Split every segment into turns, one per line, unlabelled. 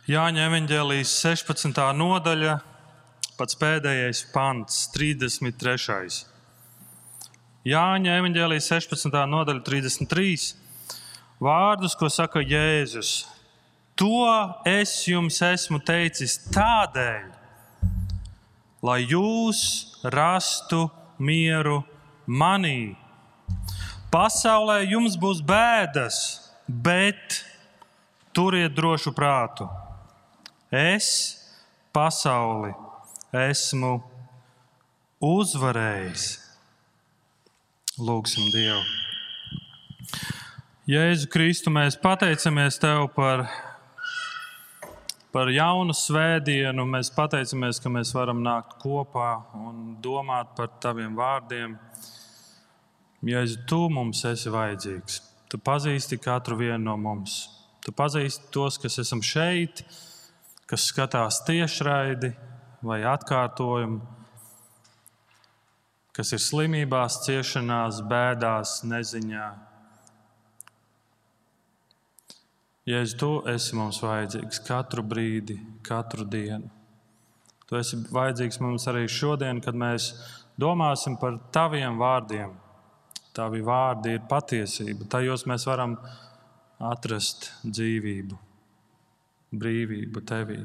Jāņa evaņģēlijas 16. nodaļa, pats pēdējais pants, 33. Jāņa evaņģēlijas 16. nodaļa, 33. Vārdus, ko saka Jēzus. To es jums esmu teicis tādēļ, lai jūs rastu mieru manī. Pasaulē jums būs bēdas, bet turiet drošu prātu. Es pasauli esmu uzvarējis. Lūgsim Dievu. Jēzu Kristu, mēs pateicamies Tev par jaunu svētdienu. Mēs pateicamies, ka mēs varam nākt kopā un domāt par Taviem vārdiem. Jēzu, Tu mums esi vajadzīgs. Tu pazīsti katru vienu no mums. Tu pazīsti tos, kas esam šeit, kas skatās tiešraidi vai atkārtojumu, kas ir slimībās, ciešanās, bēdās, neziņā. Jēzu, Tu esi mums vajadzīgs katru brīdi, katru dienu. Tu esi vajadzīgs mums arī šodien, kad mēs domāsim par Taviem vārdiem. Tavi vārdi ir patiesība. Tajos mēs varam atrast dzīvību, brīvību Tevī.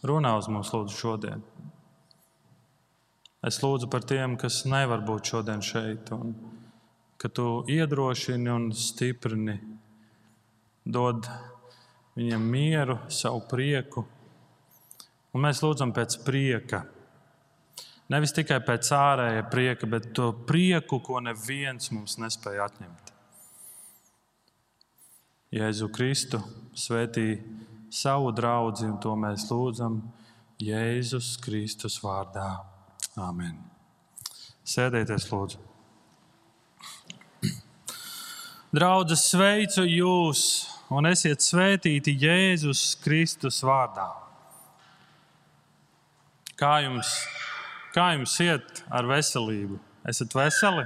Runā uz mums, lūdzu, šodien. Es lūdzu par tiem, kas nevar būt šodien šeit, un ka Tu iedrošini un stiprini, dod viņiem mieru, savu prieku. Un mēs lūdzam pēc prieka. Nevis tikai pēc ārēja prieka, bet to prieku, ko neviens mums nespēja atņemt. Jēzu Kristu svētī savu draudzi, un to mēs lūdzam Jēzus Kristus vārdā. Āmen. Sēdieties, lūdzu. Draudzes, sveicu jūs un esiet svētīti Jēzus Kristus vārdā. Kā jums iet ar veselību? Esat veseli?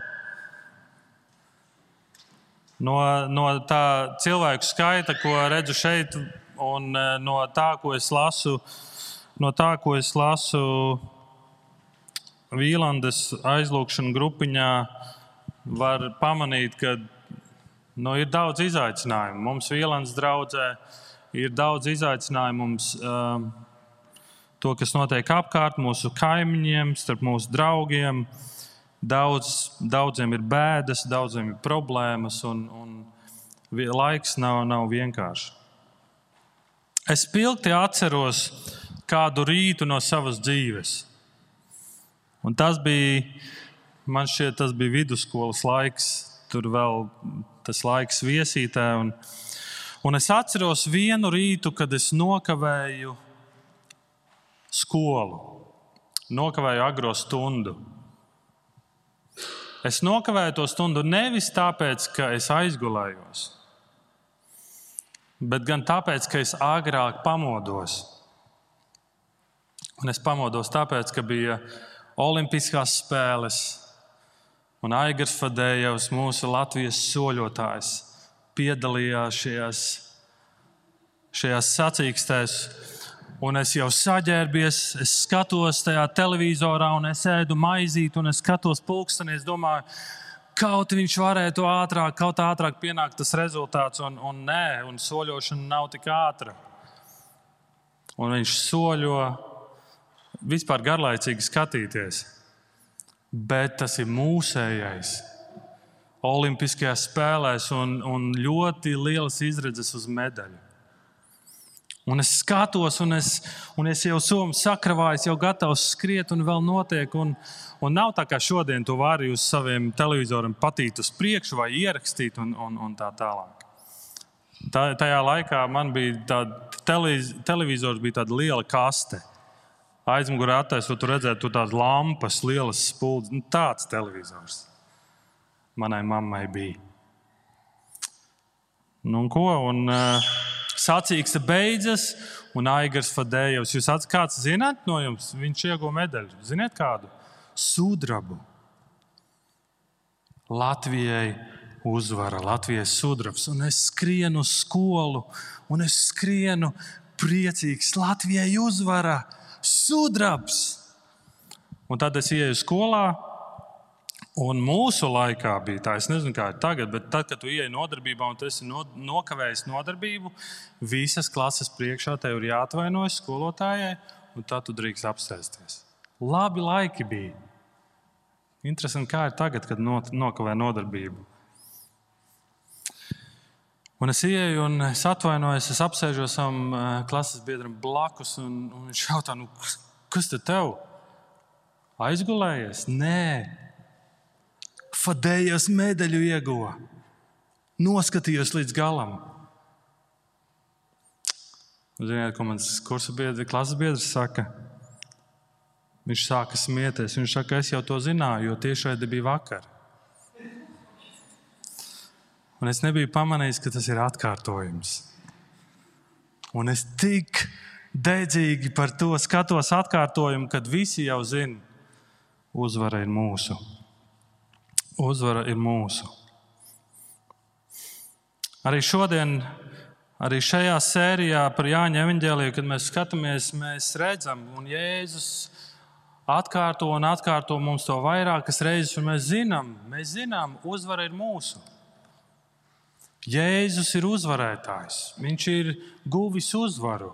No tā cilvēku skaita, ko redzu šeit, un no tā, ko es lasu Vīlandes aizlūgšanu grupiņā, var pamanīt, ka ir daudz izaicinājumu. Mums Vīlandes draudzē ir daudz izaicinājumu. Mums to, kas notiek apkārt mūsu kaimiņiem, starp mūsu draugiem. Daudziem ir bēdas, daudziem ir problēmas, un laiks nav vienkārši. Es spilgti atceros kādu rītu no savas dzīves. Un man šķiet, tas bija vidusskolas laiks, tur vēl tas laiks Viesītē. Un es atceros vienu rītu, kad es nokavēju skolu, nokavēju agro stundu. Es nokavēju to stundu nevis tāpēc, ka es aizgulējos, bet gan tāpēc, ka es agrāk pamodos. Un es pamodos tāpēc, ka bija Olimpiskās spēles, un Aigars Fadējevs, mūsu Latvijas soļotājs, piedalījās šajās sacīkstēs. Un es jau saģērbies, es skatos tajā televizorā, un es ēdu maizīti, un es skatos pulksteni, es domāju, kaut viņš varētu ātrāk pienākt tas rezultāts, un nē, un soļošana nav tik ātra. Un viņš soļo, vispār garlaicīgi skatīties. Bet tas ir mūsējais Olimpiskajās spēlēs un ļoti lielas izredzes uz medaļu. Un es skatos, un es jau somu sakravājis, jau gatavs skriet, un vēl notiek. Un nav tā, kā šodien tu vari uz saviem televizoriem patīt uz priekšu vai ierakstīt un tā tālāk. Tajā laikā man bija televizors bija tāda liela kaste. Aizmugurē attaisot, tu redzētu tādas lampas, lielas spuldzes. Tāds televizors manai mammai bija. Un ko? Sacīkste beidzas, un Aigars Fadējevs. Kāds zināt no jums? Viņš ieguva medaļu. Ziniet kādu? Sudrabu. Latvijai uzvara, Latvijas sudrabs. Un es skrienu uz skolu, un es skrienu priecīgs, Latvijai uzvara, sudrabs. Un tad es ieju skolā, un mūsu laikā bija tā, es nezinu, kā ir tagad, bet tad, kad tu ieej nodarbībā un tu esi nokavējis nodarbību, visas klases priekšā tev ir jāatvainojas skolotājai, un tad tu drīkst apsēsties. Labi laiki bija. Interesanti, kā ir tagad, kad nokavē nodarbību. Un es ieju un es atvainojos, es apsēžos savam klases biedram blakus, un viņš jautā, kas tev? Aizgulējies? Nē. Fadējas medaļu ieguva. Noskatījos līdz galam. Ziniet, ko mans kursa biedri, klases biedrs saka? Viņš sāka smieties. Viņš saka, es jau to zināju, jo tiešraide bija vakar. Un es nebiju pamanījis, ka tas ir atkārtojums. Un es tik dedzīgi par to skatos atkārtojumu, kad visi jau zina, uzvara ir mūsu. Uzvara ir mūsu. Arī šodien, arī šajā sērijā par Jāņa evaņģēliju, kad mēs skatāmies, mēs redzam, un Jēzus atkārto un atkārto mums to vairākas reizes, un mēs zinām, uzvara ir mūsu. Jēzus ir uzvarētājs. Viņš ir guvis uzvaru.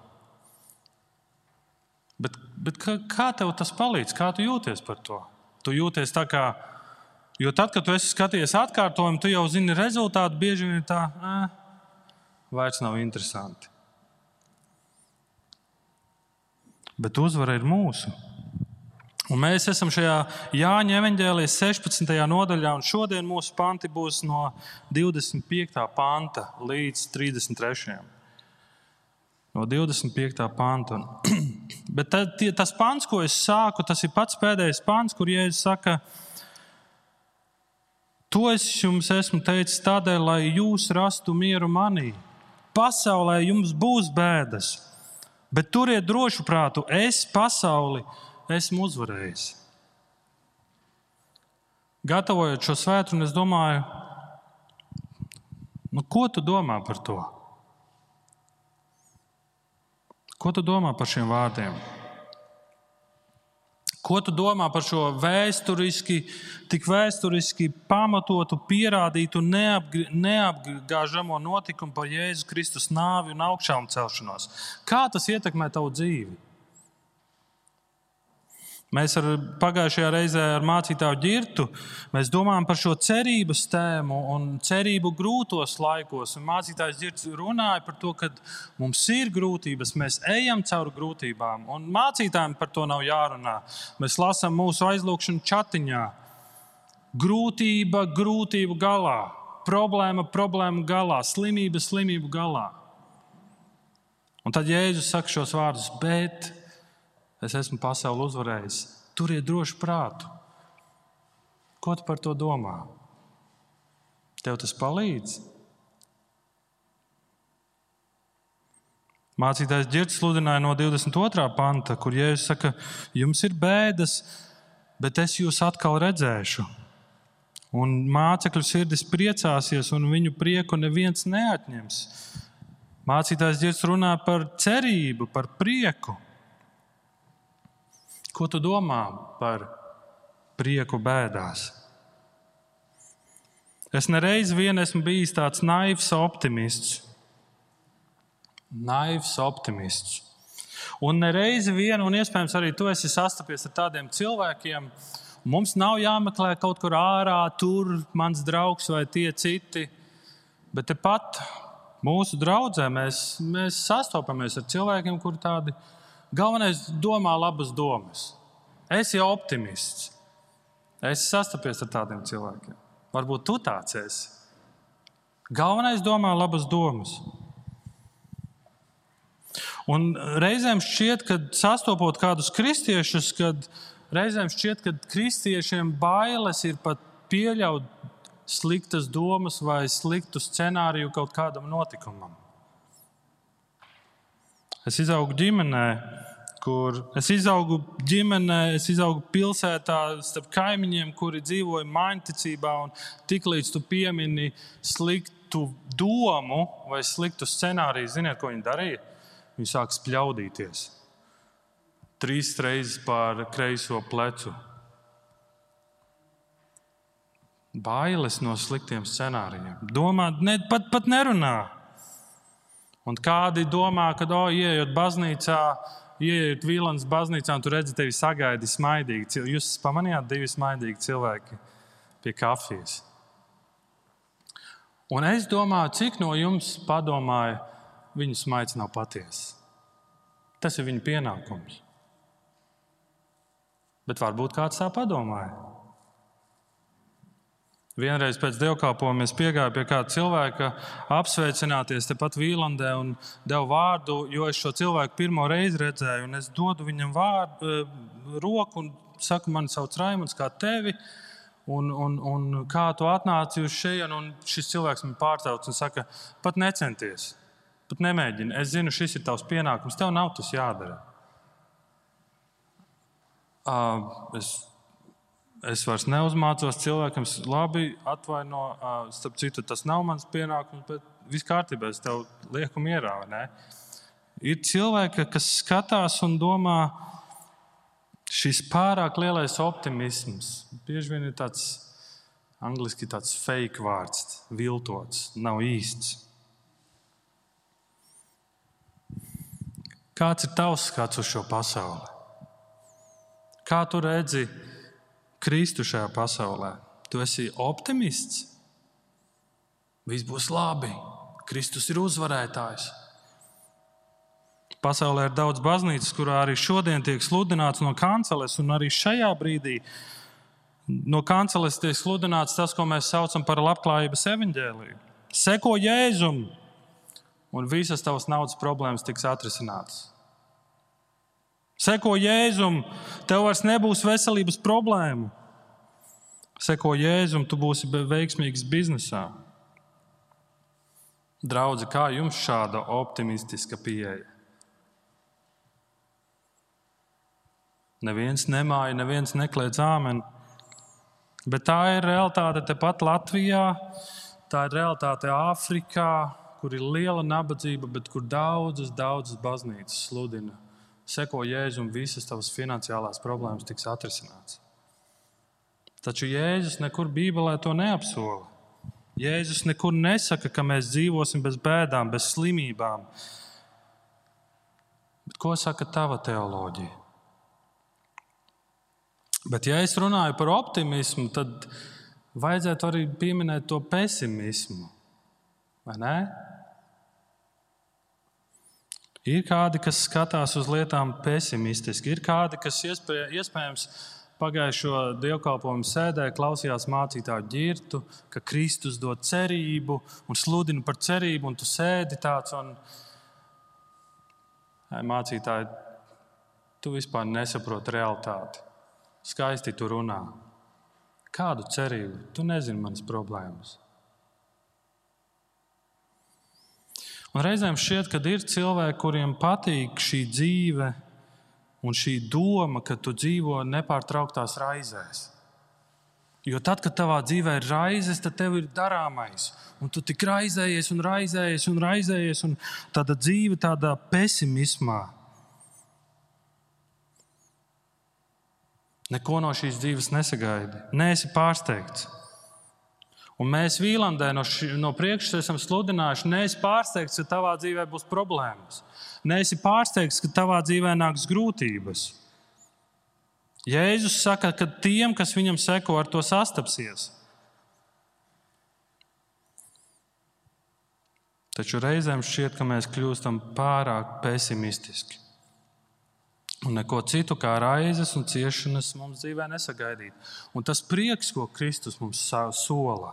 Bet kā tev tas palīdz? Kā tu jūties par to? Tu jūties tā kā, jo tad, kad tu esi skatījies atkārtojumu, tu jau zini rezultātu, bieži vien tā, vairs nav interesanti. Bet uzvara ir mūsu. Un mēs esam šajā Jāņa evaņģēlijas 16. nodaļā, un šodien mūsu panti būs no 25. panta līdz 33. No 25. panta. Bet tas pants, ko es sāku, tas ir pats pēdējais pants, kur Jēzus saka, to es jums esmu teicis tādēļ, lai jūs rastu mieru manī. Pasaulē jums būs bēdas, bet turiet drošu prātu, es pasauli esmu uzvarējis. Gatavojot šo svētdienu, es domāju, ko tu domā par to? Ko tu domā par šiem vārdiem? Ko tu domā par šo tik vēsturiski pamatotu, pierādītu, neapgāžamo notikumu par Jēzus Kristus nāvi un augšām celšanos? Kā tas ietekmē tavu dzīvi? Mēs pagājušajā reizē ar mācītāju Ģirtu mēs domājam par šo cerības tēmu un cerību grūtos laikos. Un mācītājs Ģirts runāja par to, ka mums ir grūtības, mēs ejam cauri grūtībām. Un mācītājiem par to nav jārunā. Mēs lasām mūsu aizlūgšanu chatiņā. Grūtību galā, problēmu galā, slimību galā. Un tad Jēzus saka šos vārdus, bet es esmu pasauli uzvarējis. Turiet drošu prātu. Ko tu par to domā? Tev tas palīdz? Mācītājs Ģirts sludināja no 22. panta, kur Jēzus saka, jums ir bēdas, bet es jūs atkal redzēšu. Un mācekļu sirdis priecāsies, un viņu prieku neviens neatņems. Mācītājs Ģirts runā par cerību, par prieku. Ko tu domā par prieku bēdās? Es nereiz vien esmu bijis tāds naivs optimists. Un nereizi vien, un iespējams arī tu esi sastapies ar tādiem cilvēkiem, mums nav jāmeklē kaut kur ārā, tur mans draugs vai tie citi, bet tepat mūsu draudzē mēs sastopamies ar cilvēkiem, kuri tādi galvenais domā labas domas. Es jau optimists. Es sastapies ar tādiem cilvēkiem. Varbūt tu tāds esi. Galvenais domā labas domas. Un reizēm šķiet, kad sastopot kādus kristiešus, reizēm šķiet, ka kristiešiem bailes ir pat pieļaut sliktas domas vai sliktu scenāriju kaut kādam notikumam. Es izaugu pilsētā starp kaimiņiem, kuri dzīvoja maiņticībā, un tiklīdz tu piemini sliktu domu vai sliktu scenāriju, ziniet, ko viņi darīja? viņi sāk spļaudīties. 3 reizes pār kreiso plecu. Bailes no sliktiem scenārijiem. Domā, pat nerunā. Un kādi domā, ka ieejot baznīcā, ieejot Vīlandes baznīcā, un tu redzi tevi sagaidi smaidīgi. Jūs pamanījāt 2 smaidīgi cilvēki pie kafijas. Un es domāju, cik no jums padomāja, viņu smaids nav patiesa. Tas ir viņa pienākums. Bet varbūt kāds tā padomāja. Vienreiz pēc dievkalpojuma es piegāju pie kāda cilvēka apsveicināties tepat Vīlandē un devu vārdu, jo es šo cilvēku pirmo reizi redzēju. Un es dodu viņam roku un saku, mani sauc Raimunds, kā tevi. Un kā tu atnāci uz šejienu, un šis cilvēks man pārtrauc un saka, pat necenties, pat nemēģini. Es zinu, šis ir tavs pienākums, tev nav tas jādara. Es vairs neuzmācos cilvēkam, labi, atvaino, starp citu, tas nav mans pienākums, bet viss kārtībā, es tev lieku mierā, vai ne? Ir cilvēki, kas skatās un domā, šis pārāk lielais optimisms, bieži vien ir tāds, angliski tāds fake vārds, viltots, nav īsts. Kāds ir tavs skats uz šo pasauli? Kā tu redzi Kristu šajā pasaulē? Tu esi optimists? Viss būs labi. Kristus ir uzvarētājs. Pasaulē ir daudz baznīcas, kurā arī šodien tiek sludināts no kanceles, un arī šajā brīdī no kanceles tiek sludināts tas, ko mēs saucam par labklājības evaņģēliju. Seko Jēzum, un visas tavas naudas problēmas tiks atrisinātas. Seko Jēzum, tev vairs nebūs veselības problēmu. Seko Jēzum, tu būsi veiksmīgs biznesā. Draudzi, kā jums šāda optimistiska pieeja? Neviens nemāja, neviens nekliedz āmeni. Bet tā ir realitāte tepat Latvijā, tā ir realitāte Āfrikā, kur ir liela nabadzība, bet kur daudzas baznīcas sludina. Seko Jēzum, visas tavas finansiālās problēmas tiks atrisināts. Taču Jēzus nekur Bībelē to neapsola. Jēzus nekur nesaka, ka mēs dzīvosim bez bēdām, bez slimībām. Bet ko saka tava teoloģija? Bet ja es runāju par optimismu, tad vajadzētu arī pieminēt to pesimismu. Vai ne? Ir kādi, kas skatās uz lietām pesimistiski. Ir kādi, kas iespējams pagājušo dievkalpojumu sēdē klausījās mācītāju ģirtu, ka Kristus dod cerību un sludina par cerību, un tu sēdi tāds un mācītāji, tu vispār nesaproti realitāti. Skaisti tu runā. Kādu cerību? Tu nezini manas problēmas. Un reizēm šķiet, ka ir cilvēki, kuriem patīk šī dzīve un šī doma, ka tu dzīvo nepārtrauktās raizēs. Jo tad, kad tavā dzīvē ir raizes, tad tev ir darāmais. Un tu tik raizējies un raizējies un raizējies, un tāda dzīve tādā pesimismā. Neko no šīs dzīves nesagaidi. Neesi pārsteigts. Un mēs Vīlandē no priekšas esam sludinājuši, neesi pārsteigts, ka tavā dzīvē būs problēmas. Neesi pārsteigts, ka tavā dzīvē nāks grūtības. Jēzus saka, ka tiem, kas viņam seko, ar to sastapsies. Taču reizēm šķiet, ka mēs kļūstam pārāk pesimistiski. Un neko citu kā raizes un ciešanas mums dzīvē nesagaidīt. Un tas prieks, ko Kristus mums sola,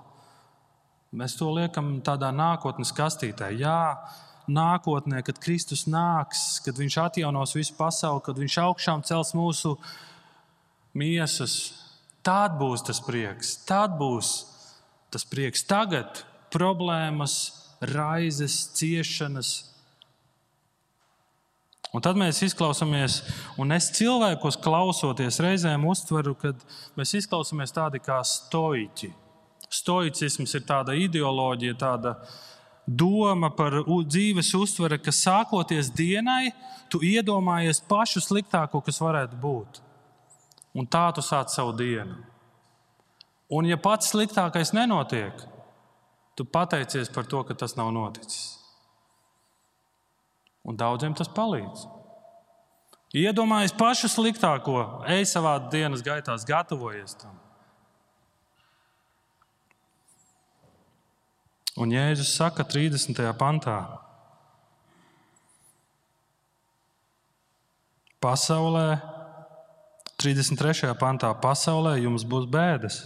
mēs to liekam tādā nākotnes kastītē. Jā, nākotnē, kad Kristus nāks, kad viņš atjaunos visu pasauli, kad viņš augšām cels mūsu miesas, tad būs tas prieks. Tad būs tas prieks. Tagad problēmas, raizes, ciešanas. Un tad mēs izklausāmies, un es cilvēkos klausoties reizēm uztveru, kad mēs izklausāmies tādi kā stoiķi. Stoicisms ir tāda ideoloģija, tāda doma par dzīves uztvere, ka sākoties dienai, tu iedomājies pašu sliktāko, kas varētu būt. Un tā tu sāc savu dienu. Un ja pats sliktākais nenotiek, tu pateicies par to, ka tas nav noticis. Un daudziem tas palīdz. Iedomājies pašu sliktāko, ej savā dienas gaitās, gatavojies tam. Un Jēzus saka 30. pantā: pasaulē, 33. pantā, pasaulē jums būs bēdas.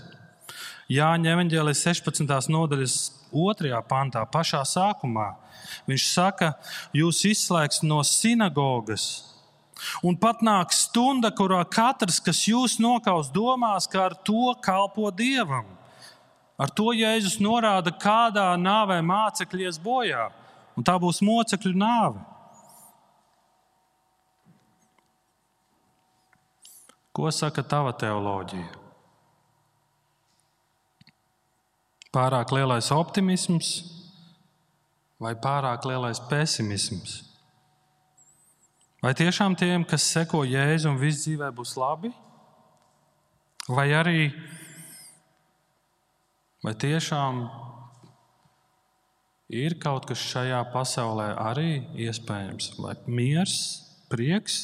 Jāņa evaņģēlijas 16. nodaļas 2. pantā, pašā sākumā, viņš saka, jūs izslēgs no sinagogas. Un pat nāk stunda, kurā katrs, kas jūs nokaus, domās, ka ar to kalpo Dievam. Ar to Jēzus norāda, kādā nāvē mācekļi ies bojā. Un tā būs mocekļu nāve. Ko saka tava teoloģija? Pārāk lielais optimisms vai pārāk lielais pesimisms? Vai tiešām tiem, kas seko Jēzu un viss dzīvē būs labi? Vai tiešām ir kaut kas šajā pasaulē arī iespējams? Vai miers, prieks,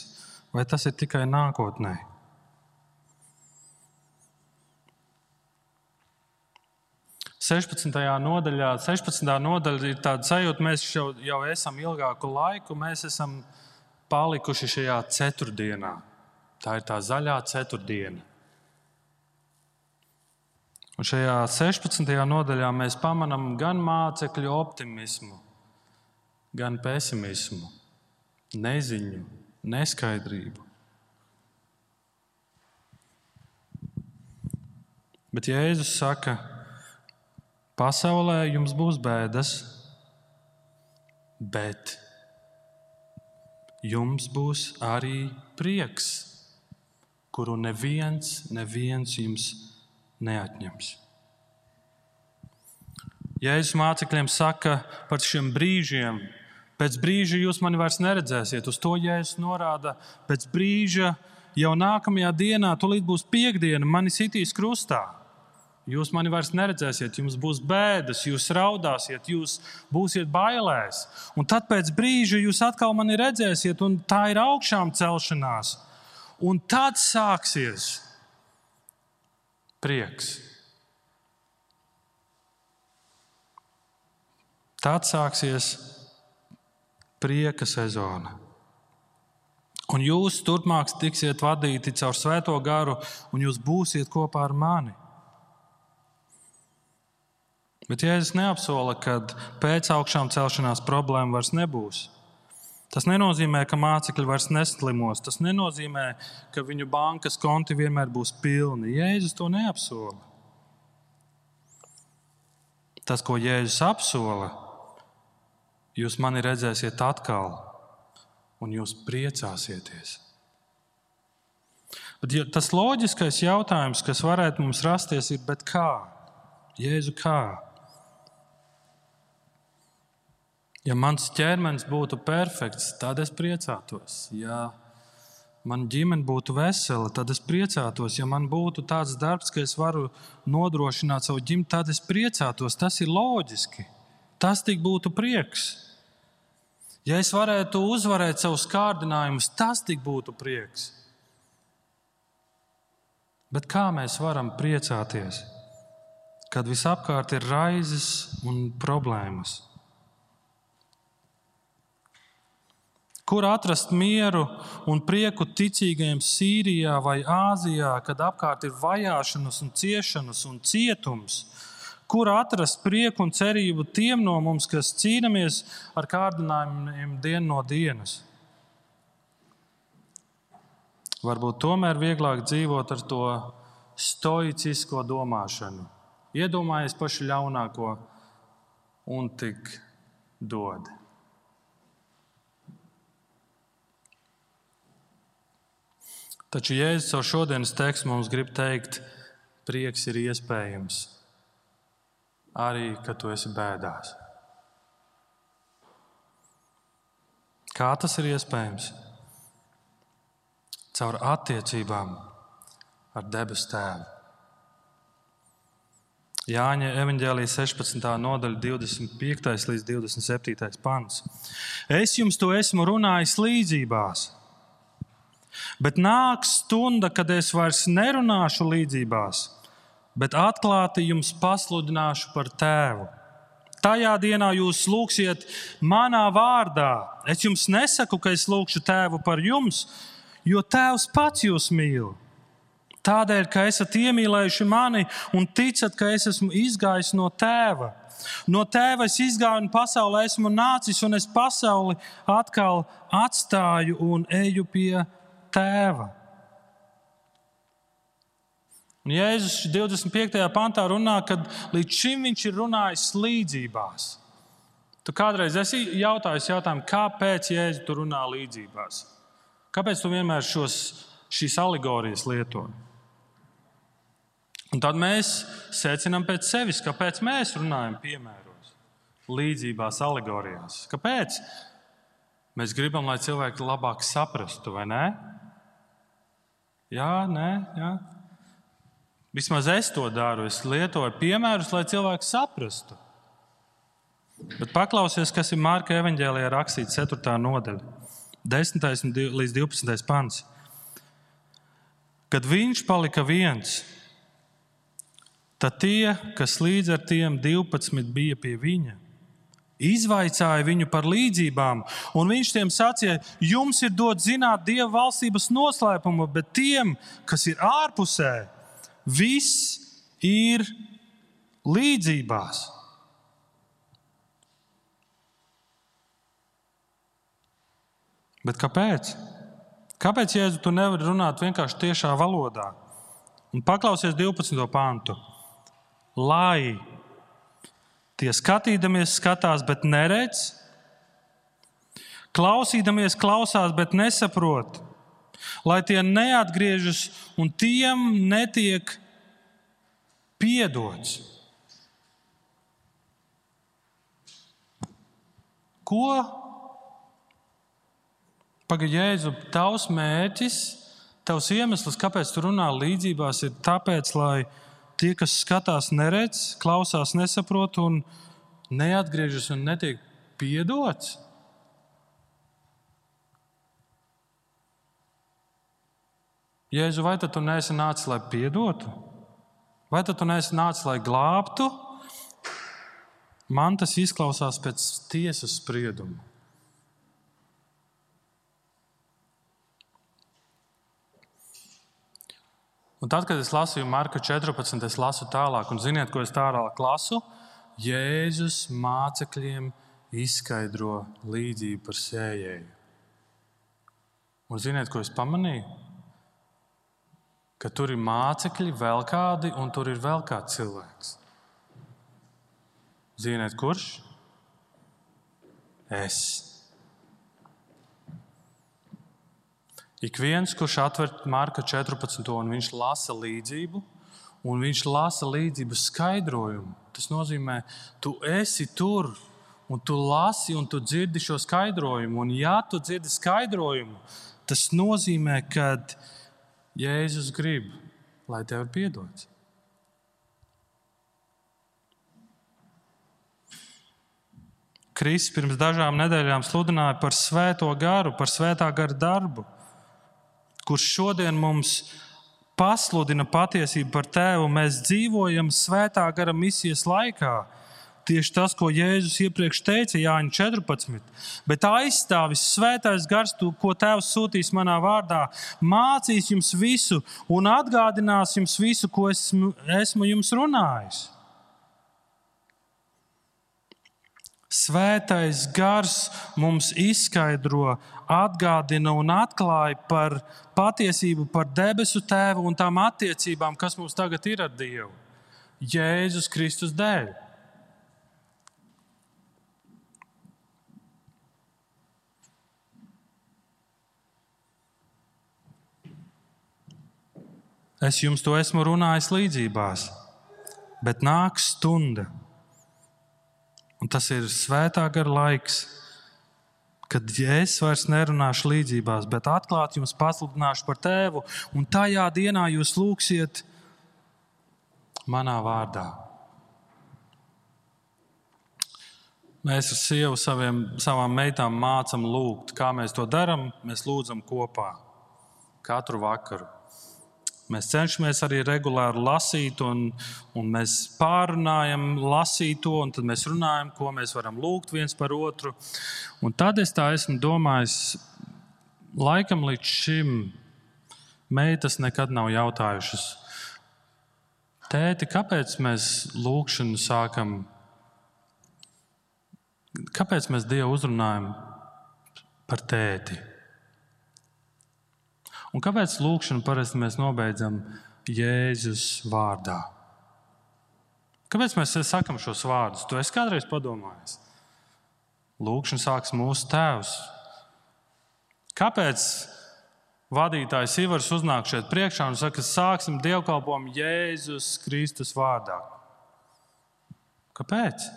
vai tas ir tikai nākotnē? Sešpadsmitā nodaļa ir tāda sajūta, mēs jau esam ilgāku laiku, mēs esam palikuši šajā ceturtdienā. Tā ir tā zaļā ceturtdiena. Un šajā 16. nodaļā mēs pamanām gan mācekļu optimismu, gan pesimismu, neziņu, neskaidrību. Bet Jēzus saka, pasaulē jums būs bēdas, bet jums būs arī prieks, kuru neviens jums neatņems. Jēzus mācekļiem saka par šiem brīžiem. Pēc brīža jūs mani vairs neredzēsiet. Uz to Jēzus norāda. Pēc brīža jau nākamajā dienā, tūlīt būs piekdiena, mani sitīs krustā. Jūs mani vairs neredzēsiet, jums būs bēdas, jūs raudāsiet, jūs būsiet bailēs. Un tad pēc brīža jūs atkal mani redzēsiet, un tā ir augšām celšanās. Un tad sāksies prieks. Tad sāksies prieka sezona. Un jūs turpmāk tiksiet vadīti caur Svēto garu, un jūs būsiet kopā ar mani. Bet Jēzus neapsola, ka pēc augšām celšanās problēma vairs nebūs. Tas nenozīmē, ka mācekļi vairs neslimos. Tas nenozīmē, ka viņu bankas konti vienmēr būs pilni. Jēzus to neapsola. Tas, ko Jēzus apsola, jūs mani redzēsiet atkal, un jūs priecāsieties. Bet tas loģiskais jautājums, kas varētu mums rasties, ir, bet kā? Jēzu, kā? Ja mans ķermenis būtu perfekts, tad es priecātos. Ja man ģimene būtu vesela, tad es priecātos. Ja man būtu tāds darbs, ka es varu nodrošināt savu ģimeni, tad es priecātos. Tas ir loģiski. Tas tik būtu prieks. Ja es varētu uzvarēt savus kārdinājumus, tas tik būtu prieks. Bet kā mēs varam priecāties, kad visapkārt ir raizes un problēmas? Kur atrast mieru un prieku ticīgajiem Sīrijā vai Āzijā, kad apkārt ir vajāšanas un ciešanas un cietums? Kur atrast prieku un cerību tiem no mums, kas cīnāmies ar kārdinājumiem dienu no dienas? Varbūt tomēr vieglāk dzīvot ar to stoicisko domāšanu. Iedomājies pašu ļaunāko un tik dod. Taču Jēzus ar šodienas tekstu mums grib teikt, prieks ir iespējams arī, kad tu esi bēdās. Kā tas ir iespējams? Caur attiecībām ar debesu Tēvu. Jāņa evaņģēlija 16. nodaļa 25. līdz 27. pants. Es jums to esmu runājis līdzībās, bet nāks stunda, kad es vairs nerunāšu līdzībās, bet atklāti jums pasludināšu par Tēvu. Tajā dienā jūs lūgsiet manā vārdā. Es jums nesaku, ka es lūgšu Tēvu par jums, jo Tēvs pats jūs mīl. Tādēļ, ka esat iemīlējuši mani un ticat, ka es esmu izgājis no Tēva. No Tēva es izgāju un pasaulē esmu nācis, un es pasauli atkal atstāju un eju pie Tēva. Un Jēzus 25. pantā runā, ka līdz šim viņš ir runājis līdzībās. Tu kādreiz esi jautājis jautājumu, kāpēc Jēzus tu runā līdzībās? Kāpēc tu vienmēr šīs alegorijas lieto? Un tad mēs secinām pēc sevis, kāpēc mēs runājam piemēros, līdzībās, alegorijās. Kāpēc? Mēs gribam, lai cilvēki labāk saprastu, vai ne? Jā, nē, jā. Vismaz es to daru. Es lietoju piemērus, lai cilvēki saprastu. Bet paklausies, kas ir Marka evaņģēlijā rakstīts 4. nodaļa, 10. līdz 12. pants. Kad viņš palika viens, tad tie, kas līdz ar tiem 12 bija pie viņa, izvaicāja viņu par līdzībām, un viņš tiem sacīja, jums ir dot zināt Dieva valstības noslēpumu, bet tiem, kas ir ārpusē, viss ir līdzībās. Bet kāpēc? Kāpēc, Jēzu, tu nevari runāt vienkārši tiešā valodā? Un paklausies 12. pantu. Lai tie skatīdamies skatās, bet neredz, klausīdamies klausās, bet nesaprot, lai tie neatgriežas un tiem netiek piedots. Ko? Pagaid, Jēzu, tavs mērķis, tavs iemesls, kāpēc tu runā līdzībās, ir tāpēc, lai tie, kas skatās, neredz, klausās, nesaprot un neatgriežas un netiek piedots. Jēzu, vai tad tu neesi nācis, lai piedotu? Vai tad tu neesi nācis, lai glābtu? Man tas izklausās pēc tiesas sprieduma. Un tad, kad es lasīju Marka 14, es lasu tālāk, un ziniet, ko es tālāk lasu? Jēzus mācekļiem izskaidro līdzību par sējēju. Un ziniet, ko es pamanīju? Ka tur ir mācekļi vēl kādi, un tur ir vēl kāds cilvēks. Ziniet, kurš? Es. Ik viens, kurš atver Marka 14, un viņš lasa līdzību, un viņš lasa līdzību skaidrojumu. Tas nozīmē, tu esi tur, un tu lasi, un tu dzirdi šo skaidrojumu. Un ja tu dzirdi skaidrojumu, tas nozīmē, ka Jēzus grib, lai tev ir piedots. Kristus pirms dažām nedēļām sludināja par svēto garu, par svētā gara darbu, kurš šodien mums pasludina patiesību par Tēvu. Mēs dzīvojam svētā gara misijas laikā. Tieši tas, ko Jēzus iepriekš teica Jāņa 14. Bet aizstāvis svētais gars, ko Tēvs sūtīs manā vārdā, mācīs jums visu un atgādinās jums visu, ko esmu jums runājis. Svētais gars mums izskaidro, atgādina un atklāja par patiesību par debesu Tēvu un tām attiecībām, kas mums tagad ir ar Dievu. Jēzus Kristus dēļ. Es jums to esmu runājis līdzībās, bet nāks stunda, un tas ir svētā gara laiks, kad es vairs nerunāšu līdzībās, bet atklāt jums pasludināšu par tēvu, un tajā dienā jūs lūgsiet manā vārdā. Mēs ar sievu savām meitām mācam lūgt. Kā mēs to darām? Mēs lūdzam kopā katru vakaru. Mēs cenšamies arī regulāri lasīt, un mēs pārunājam lasīt to, un tad mēs runājam, ko mēs varam lūgt viens par otru. Un tad es tā esmu domājis, laikam līdz šim meitas nekad nav jautājušas: tēti, kāpēc mēs lūgšanu sākam? Kāpēc mēs Dievu uzrunājam par tēti? Un kāpēc lūgšanu parasti mēs nobeidzam Jēzus vārdā? Kāpēc mēs sakam šos vārdus? Tu esi kādreiz padomājis? Lūgšana sāks mūsu Tēvs. Kāpēc vadītājs Ivars uznāk šeit priekšā un saka, sāksim dievkalpojumu Jēzus Kristus vārdā? Kāpēc?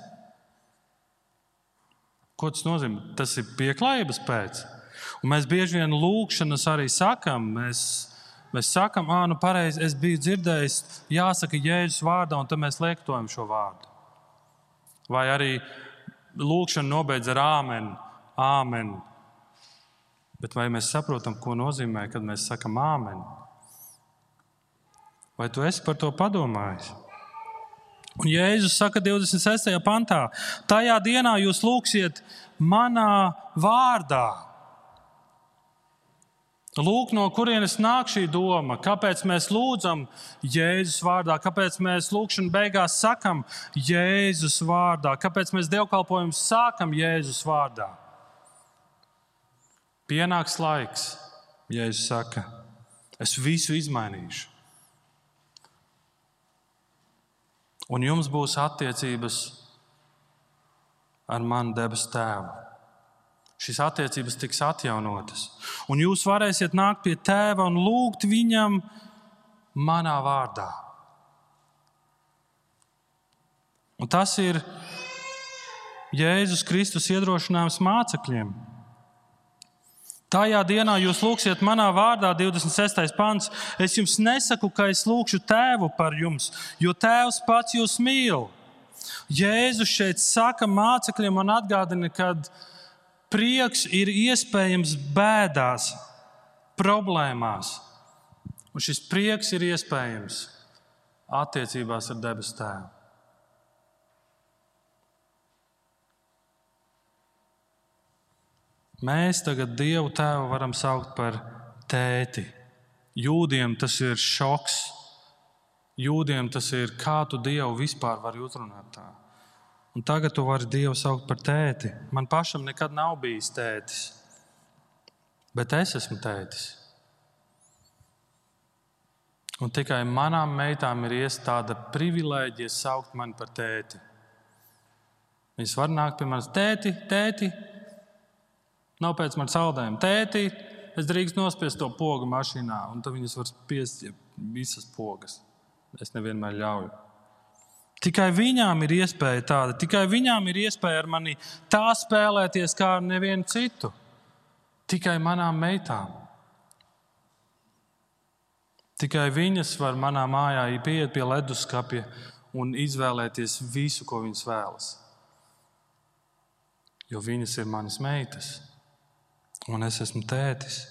Ko tas nozīmē? Tas ir pieklājības pēc. Un mēs bieži vien lūgšanas arī sakam. Mēs sakam, nu pareizi, es biju dzirdējis, jāsaka Jēzus vārdā, un tad mēs liektojam šo vārdu. Vai arī lūgšanu nobeidz ar āmen, āmen. Bet vai mēs saprotam, ko nozīmē, kad mēs sakam āmen? Vai tu esi par to padomājis? Un Jēzus saka 26. pantā, tajā dienā jūs lūgsiet manā vārdā. Lūk, no kurienes nāk šī doma, kāpēc mēs lūdzam Jēzus vārdā, kāpēc mēs lūgšanu beigās sakam Jēzus vārdā, kāpēc mēs dievkalpojumu sākam Jēzus vārdā. Pienāks laiks, Jēzus saka, es visu izmainīšu. Un jums būs attiecības ar manu debesu Tēvu. Šīs attiecības tiks atjaunotas. Un jūs varēsiet nākt pie Tēva un lūgt viņam manā vārdā. Un tas ir Jēzus Kristus iedrošinājums mācekļiem. Tajā dienā jūs lūgsiet manā vārdā, 26. pants. Es jums nesaku, ka es lūgšu Tēvu par jums, jo Tēvs pats jūs mīl. Jēzus šeit saka mācekļiem un atgādina, ka prieks ir iespējams bēdās, problēmās. Un šis prieks ir iespējams attiecībās ar debesu Tēvu. Mēs tagad Dievu Tēvu varam saukt par tēti. Jūdiem tas ir šoks. Jūdiem tas ir, kā tu Dievu vispār vari uzrunāt tā. Un tagad tu vari Dievu saukt par tēti. Man pašam nekad nav bijis tētis, bet es esmu tētis. Un tikai manām meitām ir tāda privilēģija saukt mani par tēti. Viņas var nākt pie manis, tēti, nav pēc man saldējumu. Tēti, es drīkst nospiest to pogu mašīnā, un tad viņas var spiest visas pogas. Es nevienmēr ļauju. Tikai viņām ir iespēja tāda, tikai viņām ir iespēja ar mani tā spēlēties kā ar nevienu citu. Tikai manām meitām. Tikai viņas var manā mājā pieiet pie leduskapja un izvēlēties visu, ko viņas vēlas. Jo viņas ir manas meitas. Un es esmu tētis.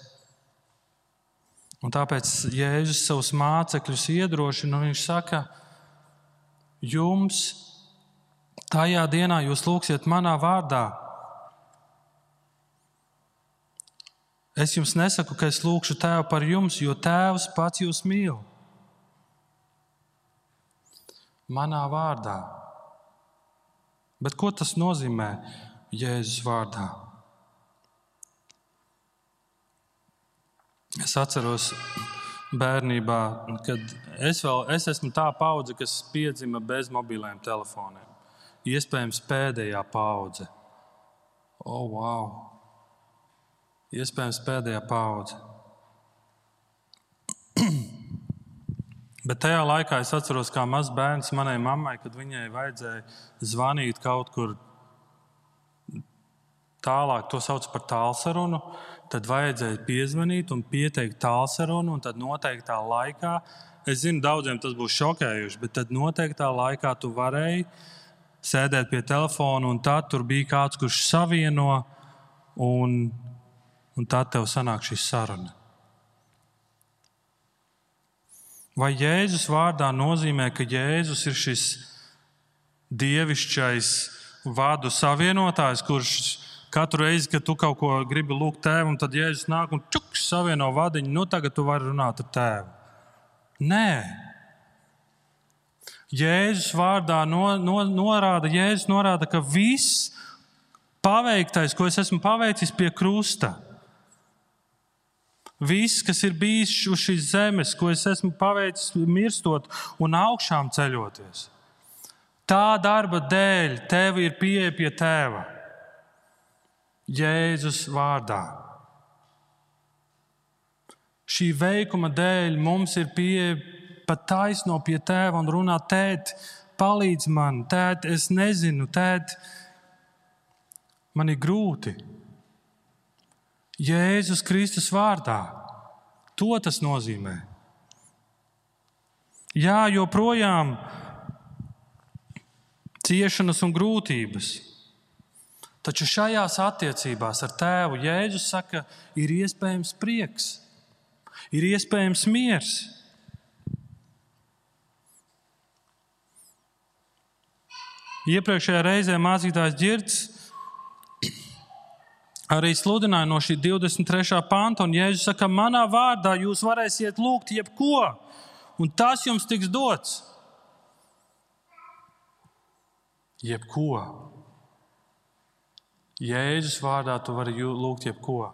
Un tāpēc Jēzus savus mācekļus iedrošina, un viņš saka, jums tajā dienā jūs lūgsiet manā vārdā. Es jums nesaku, ka es lūgšu Tēvu par jums, jo Tēvs pats jūs mīl. Manā vārdā. Bet ko tas nozīmē Jēzus vārdā? Es atceros bērnībā, kad es esmu tā paudze, kas piedzima bez mobiliem telefoniem. Iespējams, pēdējā paudze. Wow! Iespējams, pēdējā paudze. Bet tajā laikā es atceros, kā mazs bērns manai mammai, kad viņai vajadzēja zvanīt kaut kur tālāk to sauc par tālsarunu, tad vajadzēja piezvanīt un pieteikt tālsarunu, un tad noteiktā laikā, es zinu, daudziem tas būs šokējuši, bet tad noteiktā laikā tu varēji sēdēt pie telefona, un tad tur bija kāds, kurš savieno, un tad tev sanāk šī saruna. Vai Jēzus vārdā nozīmē, ka Jēzus ir šis dievišķais vārdu savienotājs, kurš katru reizi, kad tu kaut ko gribi lūgt tēvam, tad Jēzus nāk un čuks savieno vadiņu, tagad tu vari runāt ar tēvu. Nē. Jēzus vārdā norāda, ka viss paveiktais, ko es esmu paveicis pie krusta, viss, kas ir bijis uz šīs zemes, ko es esmu paveicis mirstot un augšām ceļoties, tā darba dēļ tev ir pieeja pie tēva. Jēzus vārdā. Šī veikuma dēļ mums ir pieeja pat taisno pie tēva un runā: tēt, palīdz man, tēt, es nezinu, tēt, man ir grūti. Jēzus Kristus vārdā. To tas nozīmē. Jā, joprojām ciešanas un grūtības. Taču šajās attiecībās ar tēvu Jēzus saka, ir iespējams prieks, ir iespējams miers. Iepriekšējā reizē mācītājs Ģirds arī sludināja no šī 23. panta, un Jēzus saka, manā vārdā jūs varēsiet lūgt jebko, un tas jums tiks dots. Jebko. Jēzus vārdā tu vari lūgt jebko.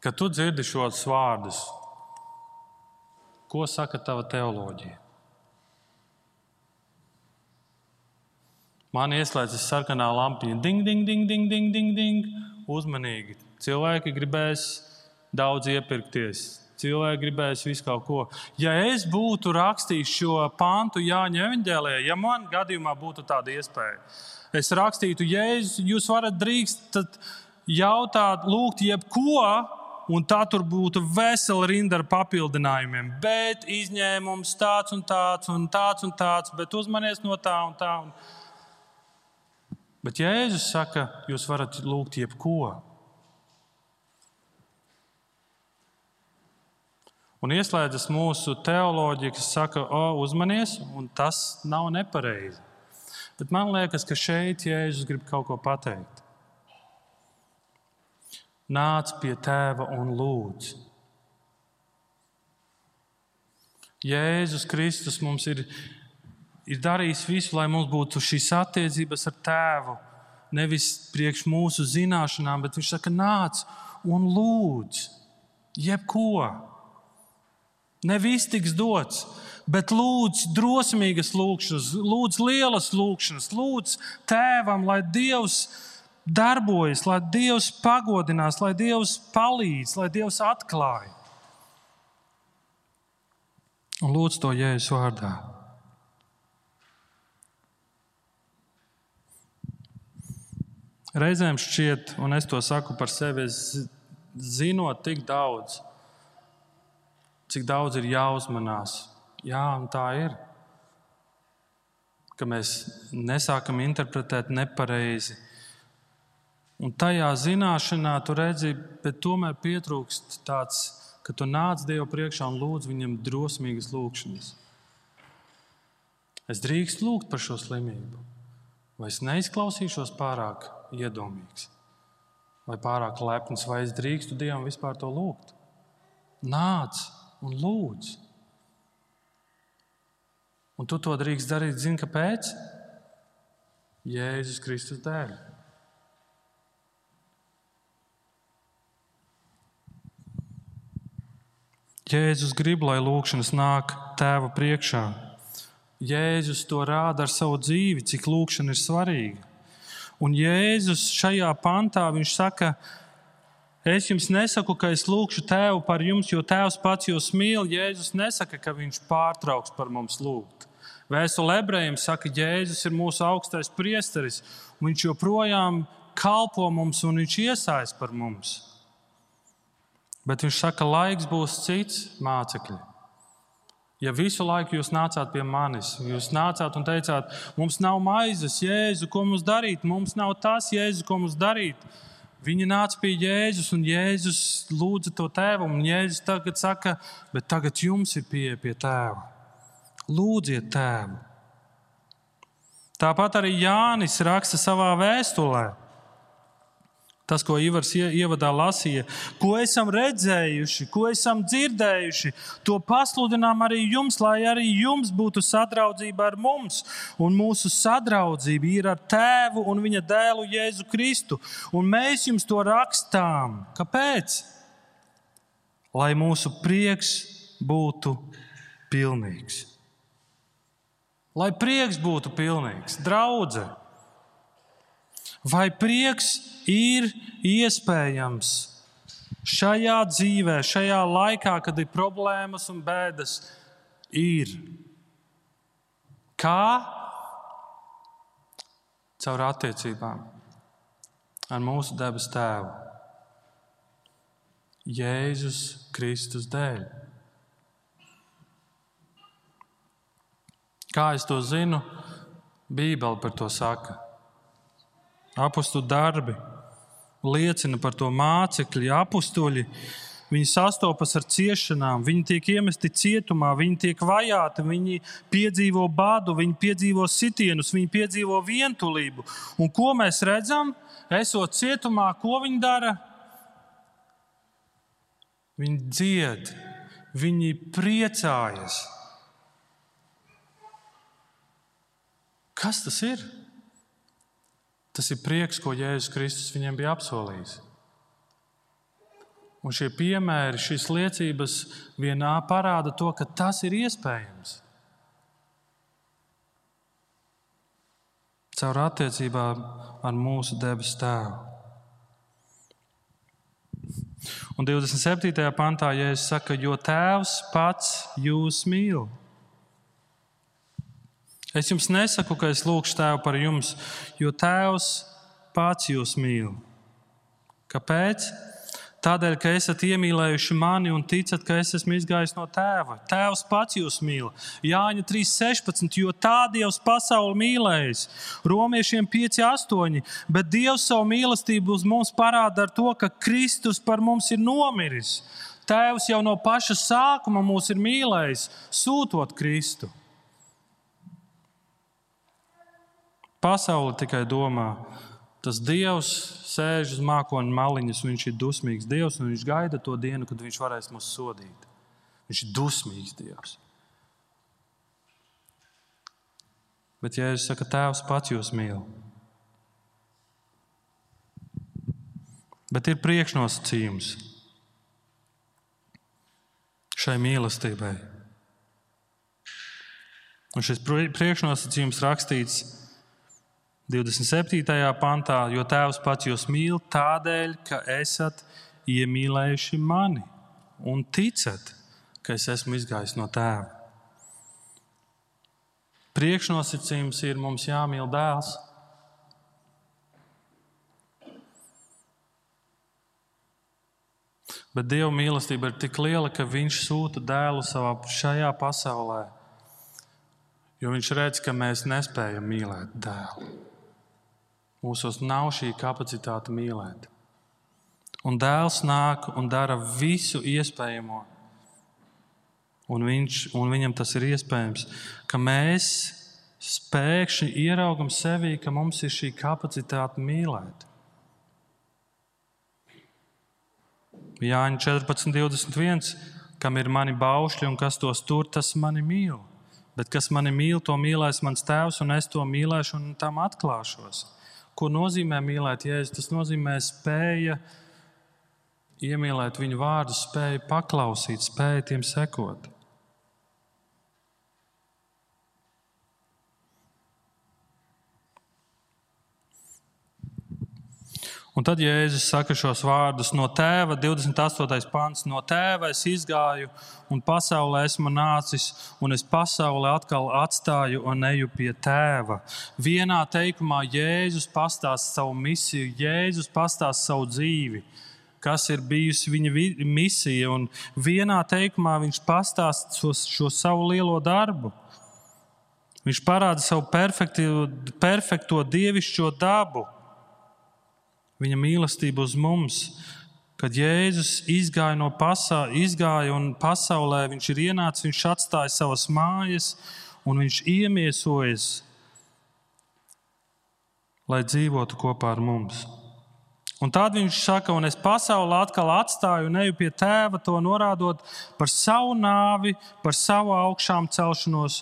Kad tu dzirdi šos vārdus, ko saka tava teoloģija? Man ieslēdzas sarkanā lampiņa. Ding, ding, ding, ding, ding, ding, ding. Uzmanīgi. Cilvēki gribēs daudz iepirkties. Cilvēki gribēs visu kaut ko. Ja es būtu rakstījis šo pantu Jāņa evaņģēlijā, ja man gadījumā būtu tāda iespēja, es rakstītu, Jēzus, jūs varat drīkst jautāt, lūgt jebko, un tā tur būtu vesela rinda ar papildinājumiem. Bet izņēmums tāds un tāds, un tāds un tāds, bet uzmanies no tā un tā. Bet Jēzus saka, jūs varat lūgt jebko. Un ieslēdzas mūsu teoloģija, kas saka, uzmanies, un tas nav nepareizi. Bet man liekas, ka šeit Jēzus grib kaut ko pateikt. Nāc pie tēva un lūdz. Jēzus Kristus mums ir darījis visu, lai mums būtu šīs attiecības ar tēvu. Nevis priekš mūsu zināšanām, bet viņš saka, nāc un lūdz. Jebko. Ne viss tiks dots, bet lūdz drosmīgas lūkšanas, lūdz lielas lūkšanas, lūdz tēvam, lai Dievs darbojas, lai Dievs pagodinās, lai Dievs palīdz, lai Dievs atklāj. Un lūdz to Jēzus vārdā. Reizēm šķiet, un es to saku par sevi, zinot tik daudz, cik daudz ir jāuzmanās. Jā, un tā ir. Ka mēs nesākam interpretēt nepareizi. Un tajā zināšanā tu redzi, bet tomēr pietrūkst tāds, ka tu nāc Dievu priekšā un lūdz viņam drosmīgas lūkšanas. Es drīkstu lūgt par šo slimību. Vai es neizklausīšos pārāk iedomīgs? Vai pārāk lepns? Vai es drīkstu Dievam vispār to lūgt? Nāc un lūdz. Un tu to drīkst darīt, zini, kāpēc? Jēzus Kristus dēļ. Jēzus grib, lai lūkšanas nāk tēva priekšā. Jēzus to rāda ar savu dzīvi, cik lūkšana ir svarīga. Un Jēzus šajā pantā, viņš saka, es jums nesaku, ka es lūkšu tēvu par jums, jo tēvs pats jūs mīl. Jēzus nesaka, ka viņš pārtrauks par mums lūgt. Vēstule ebrejiem saka, Jēzus ir mūsu augstais priesteris, un viņš joprojām kalpo mums un viņš iesaist par mums. Bet viņš saka, laiks būs cits, mācekļi. Ja visu laiku jūs nācāt pie manis, jūs nācāt un teicāt, mums nav maizes, Jēzu, ko mums darīt? Mums nav tas, Jēzu, ko mums darīt. Viņi nāca pie Jēzus, un Jēzus lūdza to tēvu, un Jēzus tagad saka, bet tagad jums ir pieeja pie tēva. Lūdziet tēvu. Tāpat arī Jānis raksta savā vēstulē. Tas, ko Ivars ievadā lasīja, ko esam redzējuši, ko esam dzirdējuši, to pasludinām arī jums, lai arī jums būtu sadraudzība ar mums. Un mūsu sadraudzība ir ar Tēvu un viņa dēlu Jēzu Kristu. Un mēs jums to rakstām. Kāpēc? Lai mūsu prieks būtu pilnīgs. Lai prieks būtu pilnīgs. Draudze. Vai prieks ir iespējams šajā dzīvē, šajā laikā, kad ir problēmas un bēdas? Ir. Kā? Caur attiecībām ar mūsu debes Tēvu. Jēzus Kristus dēļ. Kā es to zinu? Bībele par to saka. Apostoļu darbi liecina par to mācekļi, apostoļi. Viņi sastopas ar ciešanām, viņi tiek iemesti cietumā, viņi tiek vajāti, viņi piedzīvo badu, viņi piedzīvo sitienus, viņi piedzīvo vientulību. Un ko mēs redzam? Esot cietumā, ko viņi dara? Viņi dzied, viņi priecājas. Kas tas ir? Tas ir prieks, ko Jēzus Kristus viņiem bija apsolījis. Un šie piemēri, šīs liecības vienā parāda to, ka tas ir iespējams. Caur attiecībām ar mūsu debes Tēvu. Un 27. pantā Jēzus saka, jo Tēvs pats jūs mīl. Es jums nesaku, ka es lūgšu Tēvu par jums, jo Tēvs pats jūs mīl. Kāpēc? Tādēļ, ka esat iemīlējuši mani un ticat, ka es esmu izgājis no Tēva. Tēvs pats jūs mīl. Jāņa 3.16, jo tā Dievs pasauli mīlējis. Romiešiem 5.8, bet Dievs savu mīlestību uz mums parāda ar to, ka Kristus par mums ir nomiris. Tēvs jau no paša sākuma mūs ir mīlējis, sūtot Kristu. Pasaule tikai domā, tas Dievs sēž uz mākoņa maliņas, viņš ir dusmīgs Dievs, un viņš gaida to dienu, kad viņš varēs mūs sodīt. Viņš ir dusmīgs Dievs. Bet Jēzus saka, Tēvs pats jūs mīl. Bet ir priekšnosacījums šai mīlestībai. Un šis priekšnosacījums rakstīts 27. pantā, jo Tēvs pats jūs mīl tādēļ, ka esat iemīlējuši mani un ticat, ka es esmu izgājis no Tēva. Priekšnosacījums ir mums jāmīl dēls. Bet Dieva mīlestība ir tik liela, ka viņš sūta dēlu šajā pasaulē, jo viņš redz, ka mēs nespējam mīlēt dēlu. Mūsos nav šī kapacitāte mīlēt. Un dēls nāk un dara visu iespējamo. Un viņam tas ir iespējams, ka mēs pēkšņi ieraugam sevī, ka mums ir šī kapacitāte mīlēt. Jāņa 14.21, kam ir mani baušļi un kas tos tur, tas mani mīl. Bet kas mani mīl, to mīlēs mans Tēvs, un es to mīlēšu un tam atklāšos. Ko nozīmē mīlēt Jēzu? Tas nozīmē spēja iemīlēt viņu vārdu, spēja paklausīt, spēja tiem sekot. Un tad Jēzus saka šos vārdus no Tēva, 28. pants, no Tēva es izgāju un pasaulē esmu nācis, un es pasauli atkal atstāju un eju pie Tēva. Vienā teikumā Jēzus pastāsta savu misiju, Jēzus pastāsta savu dzīvi, kas ir bijusi viņa misija, un vienā teikumā viņš pastāsta šo savu lielo darbu. Viņš parāda savu perfekto dievišķo dabu. Viņa mīlestība uz mums, kad Jēzus izgāja un pasaulē viņš ir ienācis, viņš atstāja savas mājas un viņš iemiesojas, lai dzīvotu kopā ar mums. Un tad viņš saka, un es pasauli atkal atstāju un eju pie Tēva, to norādot par savu nāvi, par savu augšām celšanos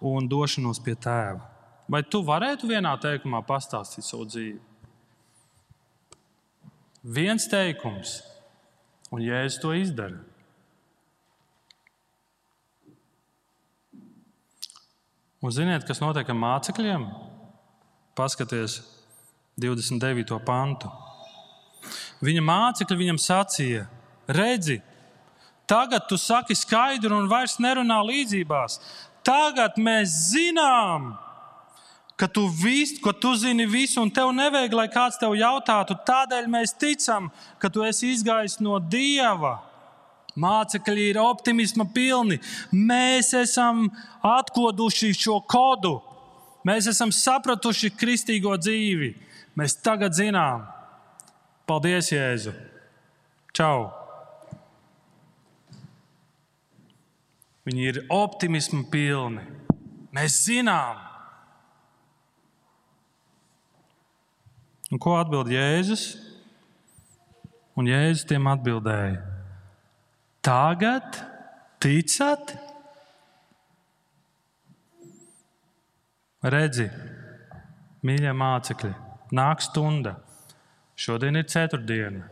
un došanos pie Tēva. Vai tu varētu vienā teikumā pastāstīt savu dzīvi? Viens teikums, un Jēzus to izdara. Un ziniet, kas notiek ar mācekļiem? Paskaties 29. pantu. Viņa mācekļi viņam sacīja, redzi, tagad tu saki skaidru un vairs nerunā līdzībās. Tagad mēs zinām, ka tu zini visu un tev nevajag, lai kāds tev jautātu. Tādēļ mēs ticam, ka tu esi izgājis no Dieva. Mācekļi ir optimisma pilni. Mēs esam atkoduši šo kodu. Mēs esam sapratuši kristīgo dzīvi. Mēs tagad zinām. Paldies, Jēzu. Čau. Viņi ir optimisma pilni. Mēs zinām. Un ko atbild Jēzus? Un Jēzus tiem atbildēja: Tagad ticat? Redzi, mīļie mācekļi, nāk stunda. Šodien ir ceturtdiena,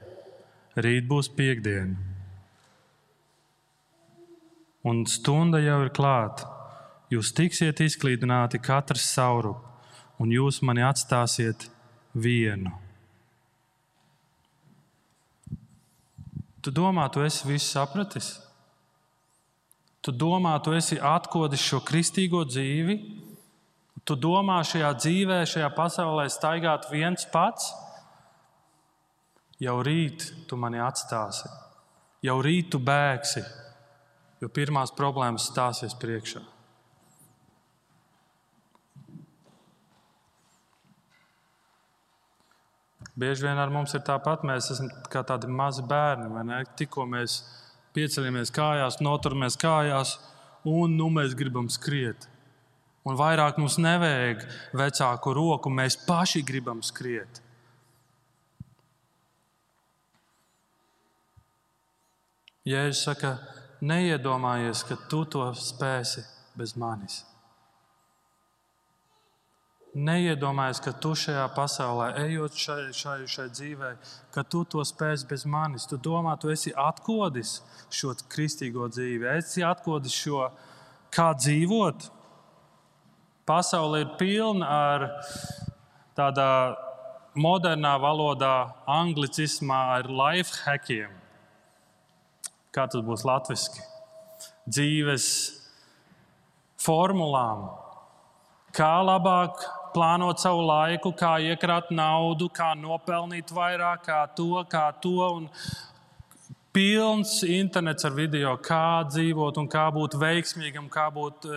rīt būs piektdiena. Un stunda jau ir klāta. Jūs tiksiet izklīdināti katrs saurup, un jūs mani atstāsiet vienu. Tu domā, tu esi visu sapratis? Tu domā, tu esi atkodis šo kristīgo dzīvi? Tu domā šajā dzīvē, šajā pasaulē staigāt viens pats? Jau rīt tu mani atstāsi. Jau rīt tu bēgsi, jo pirmās problēmas stāsies priekšā. Bieži vien ar mums ir tāpat, mēs esam kā tādi mazi bērni, vai ne? Tikko mēs pieceļamies kājās, noturamies kājās, un mēs gribam skriet. Un vairāk mums nevajag vecāku roku, mēs paši gribam skriet. Jēzus saka, neiedomājies, ka tu to spēsi bez manis. Neiedomājies, ka tu šajā pasaulē, ejot šai dzīvē, ka tu to spēsi bez manis. Tu domā, tu esi atkodis šo kristīgo dzīvi, esi atkodis šo, kā dzīvot. Pasaule ir pilna ar tādā modernā valodā, anglicismā, ar life hackiem. Kā tas būs latviski? Dzīves formulām. Kā labāk plānot savu laiku, kā iekrāt naudu, kā nopelnīt vairāk, kā to. Un pilns internets ar video, kā dzīvot un kā būt veiksmīgam, kā būt.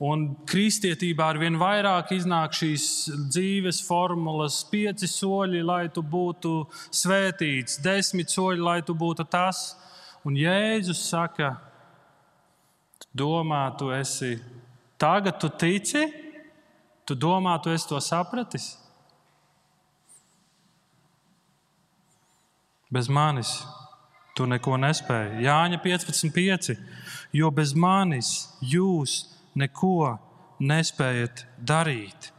Un kristietībā ar vien vairāk iznāk šīs dzīves formulas, 5 soļi, lai tu būtu svētīts, 10 soļi, lai tu būtu tas. Un Jēzus saka, tu domā, tu esi. Tagad tu tici, tu domā, tu esi to sapratis. Bez manis tu neko nespēji. Jāņa 15:5. Jo bez manis jūs neko nespējat darīt.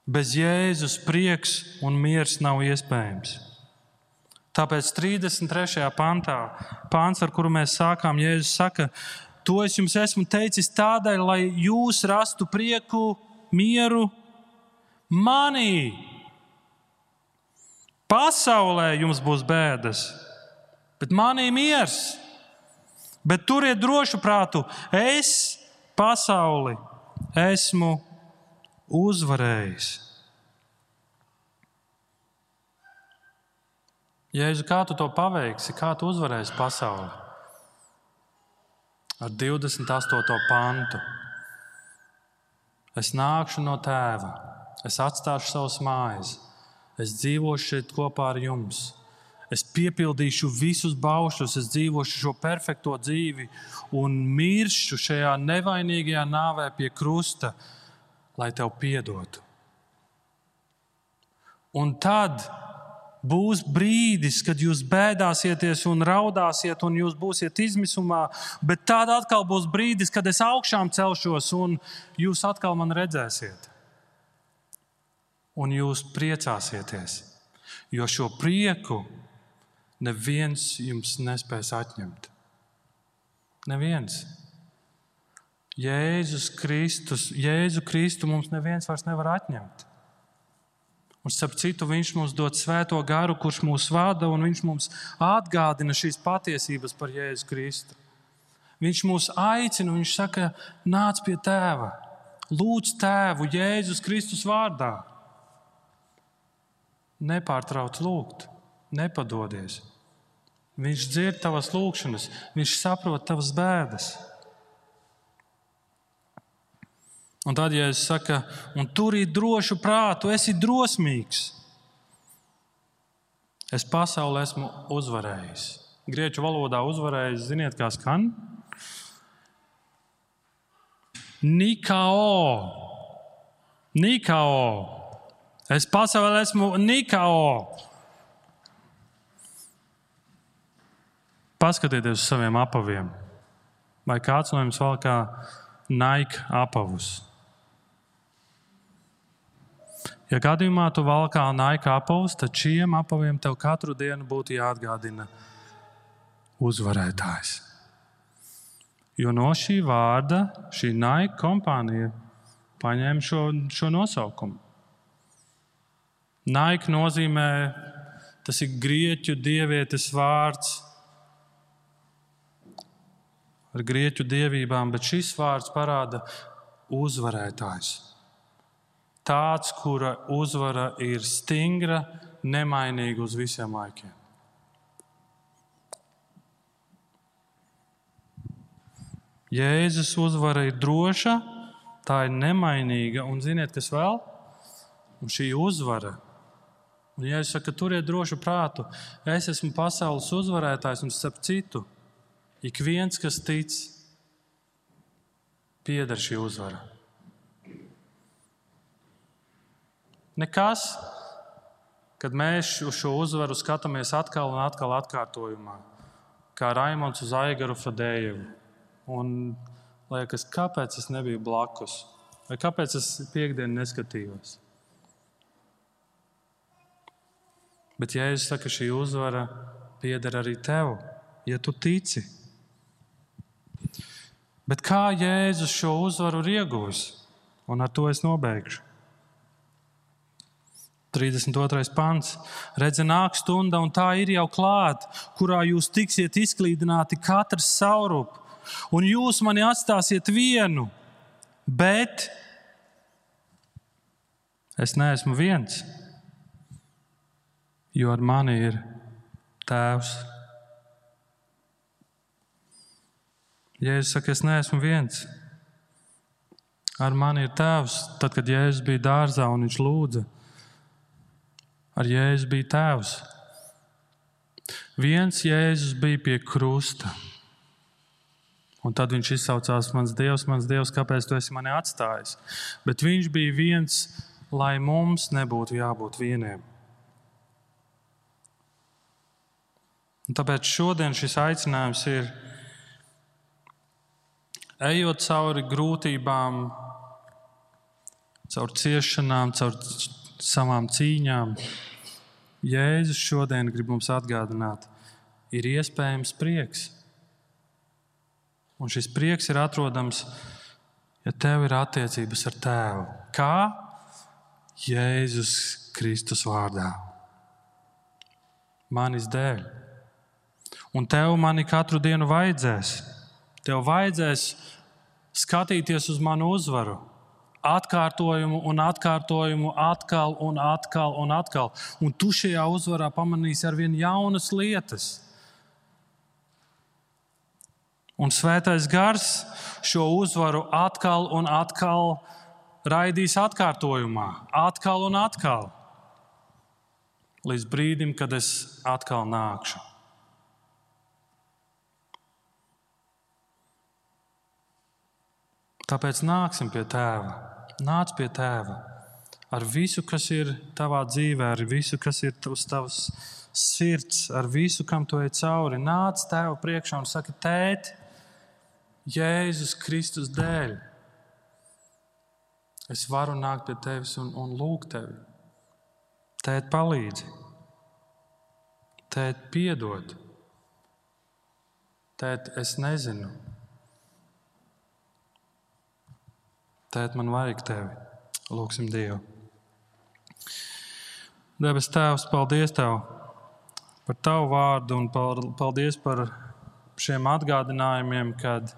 Bez Jēzus prieks un miers nav iespējams. Tāpēc 33. pants, ar kuru mēs sākām, Jēzus saka, to es jums esmu teicis tādēļ, lai jūs rastu prieku, mieru. manī. Pasaulē jums būs bēdas, bet manī miers. Bet turiet drošu prātu, es pasauli esmu uzvarējis. Jēzu, kā tu to paveiksi? Kā tu uzvarēsi pasauli? Ar 28. pantu. Es nākšu no Tēva, es atstāšu savas mājas, es dzīvošu šeit kopā ar jums. Es piepildīšu visus baušļus, es dzīvošu šo perfekto dzīvi un miršu šajā nevainīgajā nāvē pie krusta, lai tev piedotu. Un tad būs brīdis, kad jūs bēdāsieties un raudāsiet un jūs būsiet izmisumā, bet tad atkal būs brīdis, kad es augšām celšos un jūs atkal man redzēsiet. Un jūs priecāsieties, jo šo prieku neviens jums nespēs atņemt. Neviens. Jēzu Kristu mums neviens vairs nevar atņemt. Un starp citu, viņš mums dod svēto garu, kurš mūs vada, un viņš mums atgādina šīs patiesības par Jēzu Kristu. Viņš mūs aicina, viņš saka, nāc pie Tēva, lūdz Tēvu Jēzus Kristus vārdā. Nepārtrauc lūgt, nepadodies. Viņš dzird tavas lūgšanas, viņš saprot tavas bēdas. Un tad, ja es saku, un turīt drošu prātu, esi drosmīgs. Es pasauli esmu uzvarējis. Grieķu valodā uzvarējis, ziniet, kā skan? Nikao. Es pasauli esmu Nikao. Paskatieties uz saviem apaviem. Vai kāds no jums valkā Nike apavus? Ja gadījumā tu valkā Nike apavus, tad šiem apaviem tev katru dienu būtu jāatgādina uzvarētājs. Jo no šī vārda šī Nike kompānija paņēma šo nosaukumu. Nike nozīmē, tas ir grieķu dievietes vārds ar grieķu dievībām, bet šis vārds parāda uzvarētājs. Tāds, kura uzvara ir stingra, nemainīga uz visiem laikiem. Jēzus uzvara ir droša, tā ir nemainīga, un ziniet, kas vēl? Un šī uzvara. Un Jēzus saka, turiet drošu prātu, es esmu pasaules uzvarētājs, un starp citu, ik viens, kas tic, pieder šī uzvara. Nekas, kad mēs uz šo uzvaru skatāmies atkal un atkal atkārtojumā, kā Raimonds uz Aigaru Fadējevu. Un liekas, kāpēc es nebiju blakus? Vai kāpēc es piekdienu neskatījos? Bet Jēzus saka, šī uzvara pieder arī tev, ja tu tici. Bet kā Jēzus šo uzvaru ir ieguvis? Un ar to es nobeigšu. 32. pants. Redzi, nāk stunda, un tā ir jau klāt, kurā jūs tiksiet izklīdināti katrs saurup, un jūs mani atstāsiet vienu, bet es neesmu viens, jo ar mani ir Tēvs. Jēzus saka, es neesmu viens. Ar mani ir Tēvs. Tad, kad Jēzus bija dārzā un viņš lūdza, ar Jēzus bija Tēvs. Viens Jēzus bija pie krusta. Un tad viņš izsaucās, mans Dievs, kāpēc tu esi mani atstājis? Bet viņš bija viens, lai mums nebūtu jābūt vieniem. Un tāpēc šodien šis aicinājums ir, ejot cauri grūtībām, caur ciešanām, caur savām cīņām, Jēzus šodien grib mums atgādināt, ir iespējams prieks. Un šis prieks ir atrodams, ja tev ir attiecības ar Tēvu. Kā? Jēzus Kristus vārdā. Manis dēļ. Un tev mani katru dienu vajadzēs. Tev vajadzēs skatīties uz manu uzvaru. Atkārtojumu un atkārtojumu, atkal un atkal un atkal. Un tu šajā uzvarā pamanīsi arvien jaunas lietas. Un Svētais Gars šo uzvaru atkal un atkal raidīs atkārtojumā. Atkal un atkal. Līdz brīdim, kad es atkal nākšu. Tāpēc nāksim pie Tēva. Nāc pie Tēva ar visu, kas ir tavā dzīvē, ar visu, kas ir uz tavas sirds, ar visu, kam tu ej cauri. Nāc Tēva priekšā un saki, Tēti, Jēzus Kristus dēļ. Es varu nākt pie Tevis un lūgt Tevi. Tēt, palīdzi. Tēt, piedod. Tēt, es nezinu. Tēt, man vajag Tevi. Lūksim Dievu. Debes Tēvs, paldies Tev par Tavu vārdu un paldies par šiem atgādinājumiem, kad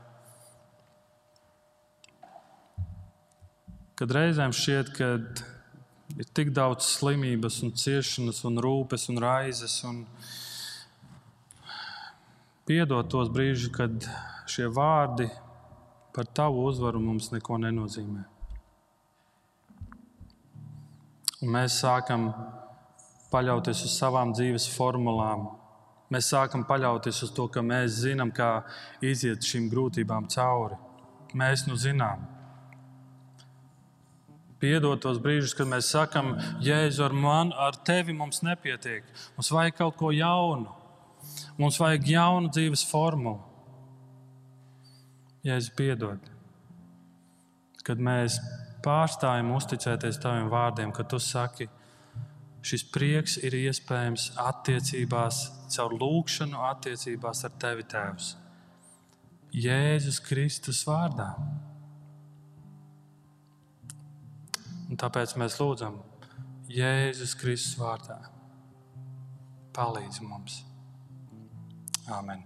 reizēm šķiet, ka ir tik daudz slimības un ciešanas un rūpes un raizes. Un piedod tos brīžus, kad šie vārdi par Tavu uzvaru mums neko nenozīmē. Un mēs sākam paļauties uz savām dzīves formulām. Mēs sākam paļauties uz to, ka mēs zinām, kā iziet šīm grūtībām cauri. Mēs nu zinām. Piedod tos brīžus, kad mēs sakam, Jēzu, ar Tevi mums nepietiek. Mums vajag kaut ko jaunu. Mums vajag jaunu dzīves formulu. Jēzu, piedod. Kad mēs pārstājam uzticēties Taviem vārdiem, kad Tu saki, šis prieks ir iespējams attiecībās, caur lūgšanu attiecībās ar Tevi, Tēvs. Jēzus Kristus vārdā. Un tāpēc mēs lūdzam Jēzus Kristus vārdā. Palīdzi mums. Āmen.